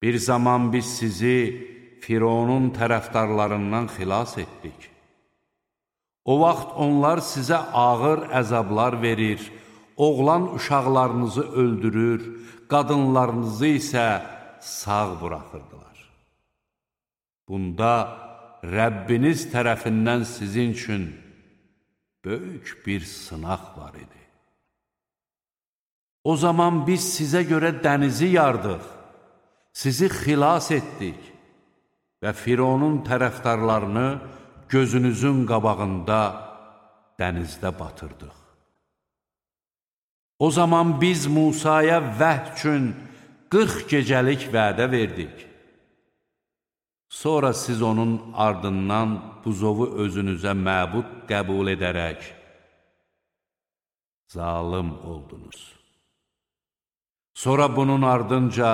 Bir zaman biz sizi Fironun tərəfdarlarından xilas etdik. O vaxt onlar sizə ağır əzablar verir, oğlan uşaqlarınızı öldürür, qadınlarınızı isə sağ buraxırdılar. Bunda Rəbbiniz tərəfindən sizin üçün böyük bir sınaq var idi. O zaman biz sizə görə dənizi yardıq, sizi xilas etdik və Fironun tərəfdarlarını gözünüzün qabağında dənizdə batırdıq. O zaman biz Musaya vəhd üçün 40 gecəlik vədə verdik. Sonra siz onun ardından buzovu özünüzə məbud qəbul edərək zalım oldunuz. Sonra bunun ardınca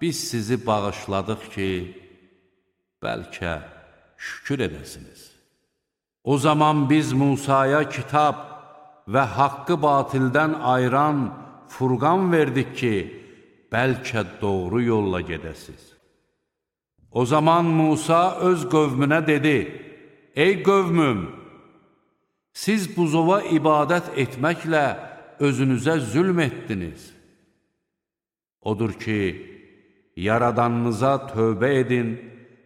biz sizi bağışladıq ki, bəlkə şükür edəsiniz. O zaman biz Musaya kitab və haqqı batildən ayıran Furqan verdik ki, bəlkə doğru yolla gedəsiz. O zaman Musa öz qövmünə dedi, ey qövmüm, siz buzova ibadət etməklə özünüzə zülm etdiniz. Odur ki, yaradanınıza tövbə edin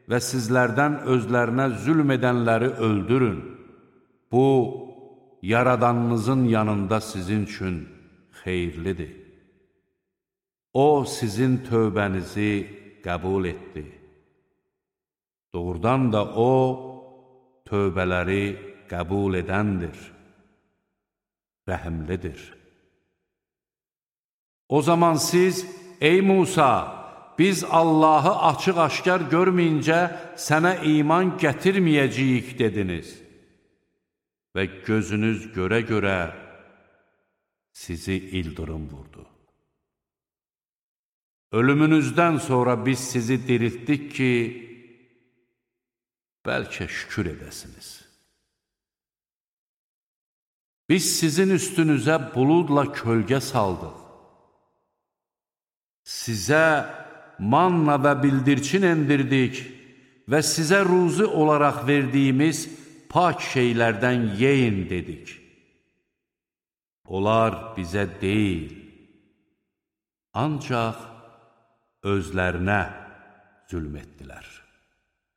və sizlərdən özlərinə zülm edənləri öldürün. Bu, yaradanınızın yanında sizin üçün xeyirlidir. O, sizin tövbənizi qəbul etdi. Doğrudan da O, tövbələri qəbul edəndir, rəhimlidir. O zaman siz, ey Musa, biz Allahı açıq-aşkar görməyincə sənə iman gətirməyəcəyik dediniz və gözünüz görə-görə sizi ildırım vurdu. Ölümünüzdən sonra biz sizi diriltdik ki, bəlkə şükür edəsiniz. Biz sizin üstünüzə buludla kölgə saldıq. Sizə manna və bildirçin endirdik və sizə ruzi olaraq verdiyimiz pak şeylərdən yeyin dedik. Onlar bizə deyil, ancaq özlərinə zülm etdilər.